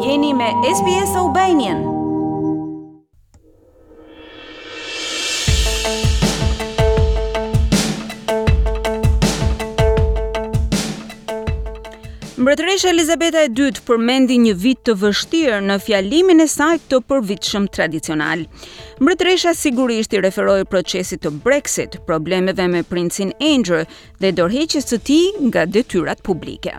Jeni me SBS Albanian. Mbretëresha Elizabeta e II përmendi një vit të vështirë në fjalimin e saj të përvitshëm tradicional. Mbretëresha sigurisht i referoi procesit të Brexit, problemeve me princin Andrew dhe dorëheqjes së tij nga detyrat publike.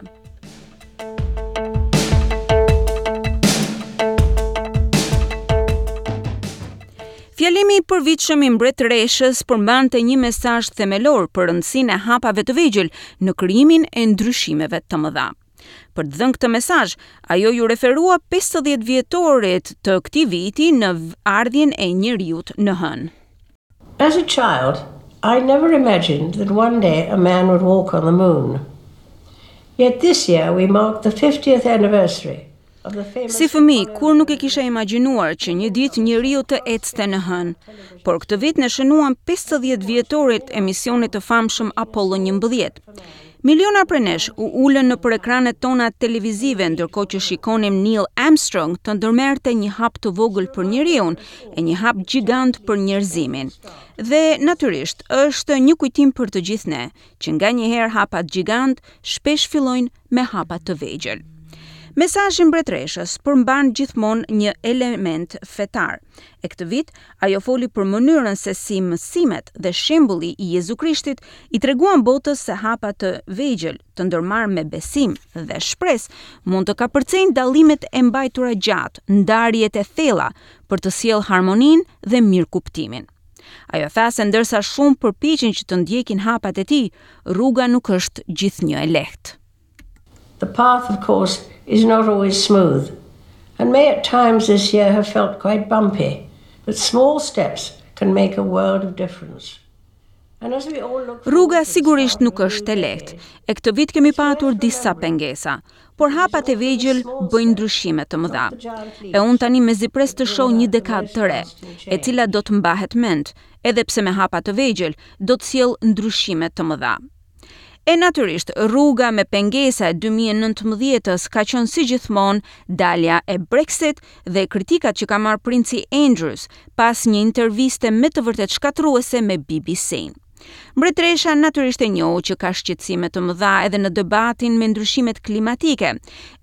Fjalimi i përvitshëm i mbretëreshës përmbante një mesazh themelor për rëndësinë e hapave të vegjël në krijimin e ndryshimeve të mëdha. Për të dhënë këtë mesazh, ajo iu referua 50 vjetorit të këtij viti në ardhjen e njeriut në hënë. As a child, I never imagined that one day a man would walk on the moon. Yet this year we mark the 50th anniversary Si fëmijë, kurrë nuk e kisha imagjinuar që një ditë njeriu të ecte në hënë. Por këtë vit ne shënuam 50 vjetorin e misionit të famshëm Apollo 11. Miliona prej nesh u ulën nëpër ekranet tona televizive ndërkohë që shikonim Neil Armstrong të ndërmerrte një hap të vogël për njeriun e një hap gjigant për njerëzimin. Dhe natyrisht, është një kujtim për të gjithë ne, që nganjëherë hapat gjigantë shpesh fillojnë me hapa të vegjël. Mesazhi i mbretëreshës përmban gjithmonë një element fetar. E këtë vit, ajo foli për mënyrën se si mësimet dhe shembulli i Jezu Krishtit i treguan botës se hapa të vegjël, të ndërmarrë me besim dhe shpresë, mund të kapërcejnë dallimet e mbajtura gjatë, ndarjet e thella, për të sjellë harmoninë dhe mirëkuptimin. Ajo tha se ndërsa shumë përpiqen që të ndjekin hapat e tij, rruga nuk është gjithnjë e lehtë. The path, of course, is not always smooth, and may at times this year have felt quite bumpy, but small steps can make a world of difference. Rruga sigurisht nuk është e lehtë. E këtë vit kemi patur disa pengesa, por hapat e vegjël bëjnë ndryshime të mëdha. E unë tani mezi pres të shoh një dekadë të re, e cila do të mbahet mend, edhe pse me hapa të vegjël, do të sjellë ndryshime të mëdha. E natyrisht, rruga me pengesa e 2019-ës ka qenë si gjithmonë dalja e Brexit dhe kritikat që ka marrë princi Andrews pas një interviste me të vërtetë shkatërruese me BBC-n. Mbretëresha natyrisht e njohu që ka shqetësime të mëdha edhe në debatin me ndryshimet klimatike,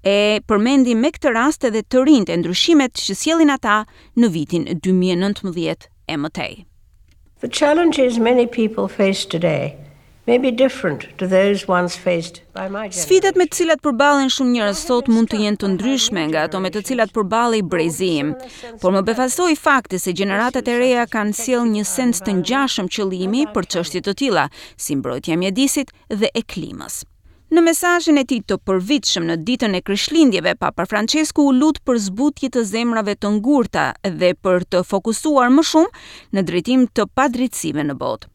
e përmendi me këtë rast edhe të rinjtë e ndryshimet që sjellin ata në vitin 2019 e më tej. The challenges many people face today may be different to those once faced by my generation. Sfidat me të cilat përballen shumë njerëz sot mund të jenë të ndryshme nga ato me të cilat përballej brezi im. Por më befasoi fakti se gjeneratat e reja kanë sjellë një sens të ngjashëm qëllimi për çështje të tilla, si mbrojtja e mjedisit dhe e klimës. Në mesazhin e tij të përvitshëm në ditën e Krishtlindjeve, Papa Francesku u lut për zbutje të zemrave të ngurta dhe për të fokusuar më shumë në drejtim të padrejtësive në botë.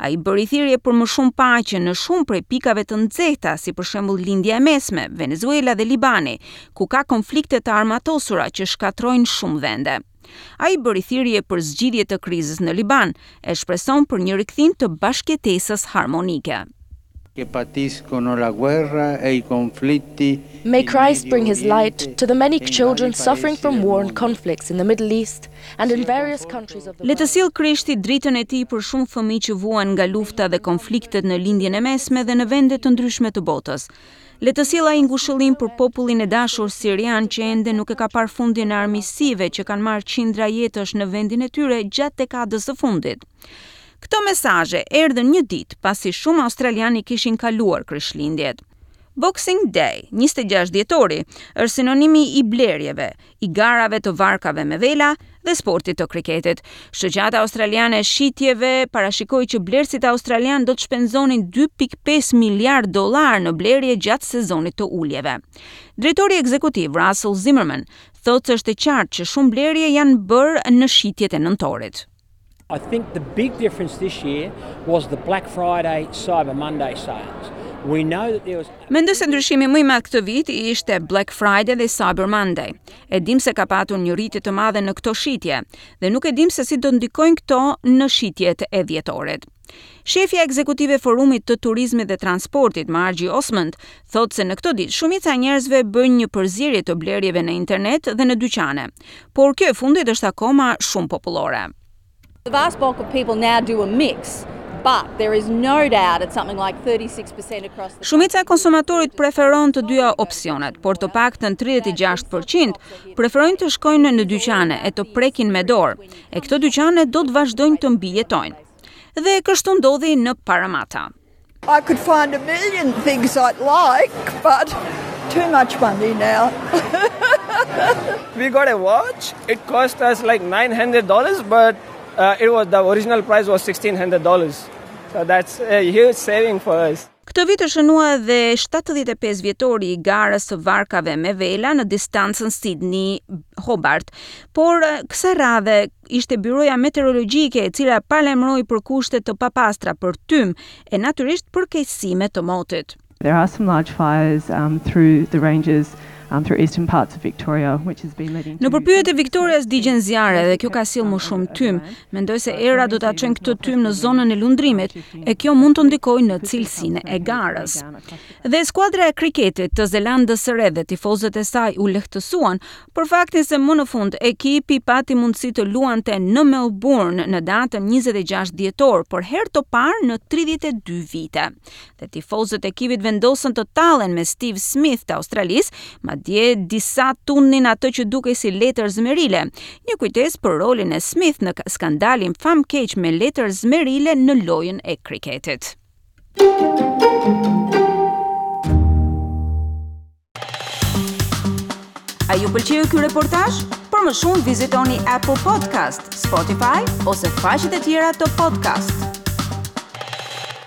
Ai bëri thirrje për më shumë paqe në shumë prej pikave të nxehta, si për shembull Lindja e Mesme, Venezuela dhe Libani, ku ka konflikte të armatosura që shkatërrojnë shumë vende. Ai bëri thirrje për zgjidhje të krizës në Liban, e shpreson për një rikthim të bashkëjetesës harmonike. Che patiscono la guerra e i conflitti May Christ bring his light to the many children suffering from war and conflicts in the Middle East and in various countries of the Le të sjellë Krishti dritën e tij për shumë fëmijë që vuajnë nga lufta dhe konfliktet në Lindjen e Mesme dhe në vende të ndryshme të botës. Le të sjellë ai ngushëllim për popullin e dashur sirian që ende nuk e ka parë fundin e armiqësive që kanë marrë qindra jetësh në vendin e tyre gjatë dekadës së fundit. Këto mesazhe erdhën një ditë pasi shumë australianë i kishin kaluar Krishtlindjet. Boxing Day, 26 dhjetori, është sinonimi i blerjeve, i garave të varkave me vela dhe sportit të kriketit. Shoqata Australiane e Shitjeve parashikoi që blerësit australian do të shpenzonin 2.5 miliard dollar në blerje gjatë sezonit të uljeve. Drejtori ekzekutiv Russell Zimmerman thotë se është e qartë që shumë blerje janë bërë në shitjet e nëntorit. I think the big difference this year was the Black Friday, Cyber Monday sales. We know that there was Mendoj se ndryshimi më i madh këtë vit ishte Black Friday dhe Cyber Monday. E dim se ka patur një rritje të madhe në këto shitje dhe nuk e dim se si do ndikojnë këto në shitjet e dhjetorit. Shefja ekzekutive e Forumit të Turizmit dhe Transportit, Margie Osmond, thotë se në këto ditë shumica e njerëzve bëjnë një përzierje të blerjeve në internet dhe në dyqane, por kjo e fundit është akoma shumë popullore. The vast bulk of people now do a mix. But there is no doubt it's something like 36% across the Shumica e konsumatorit preferon të dyja opsionet, por të paktën 36% preferojnë të shkojnë në dyqane e të prekin me dorë, e këto dyqane do të vazhdojnë të mbijetojnë. Dhe kështu ndodhi në Parramatta. I could find a million things I'd like, but too much money now. we got a watch. It cost us like $900, but uh, it was the original price was $1600. So that's a huge saving for us. Këtë vit u shënua edhe 75 vjetori i garës së varkave me vela në distancën Sydney Hobart, por kësaj radhe ishte byroja meteorologjike e cila paralajmëroi për kushte të papastra për tym e natyrisht përkeqësime të motit. There are some large fires um, through the ranges um, through eastern parts of Victoria, which has been leading to Nëpër pyjet e Victorias digjen zjarre dhe kjo ka sjellë më shumë tym. Mendoj se era do ta çojë këtë tym në zonën e lundrimit, e kjo mund të ndikojë në cilësinë e garës. Dhe skuadra e kriketit të Zelandës së Re dhe tifozët e saj u lehtësuan për faktin se më në fund ekipi pati mundësi të luante në Melbourne në datën 26 dhjetor për herë të parë në 32 vite. Dhe tifozët e ekipit vendosën të tallen me Steve Smith të Australisë, madje disa tundnin atë që dukej si letër zmerile, një kujtesë për rolin e Smith në skandalin famkeq me letër zmerile në lojën e kriketit. A ju pëlqeu ky reportazh? Për më shumë vizitoni Apple Podcast, Spotify ose faqet e tjera të podcast.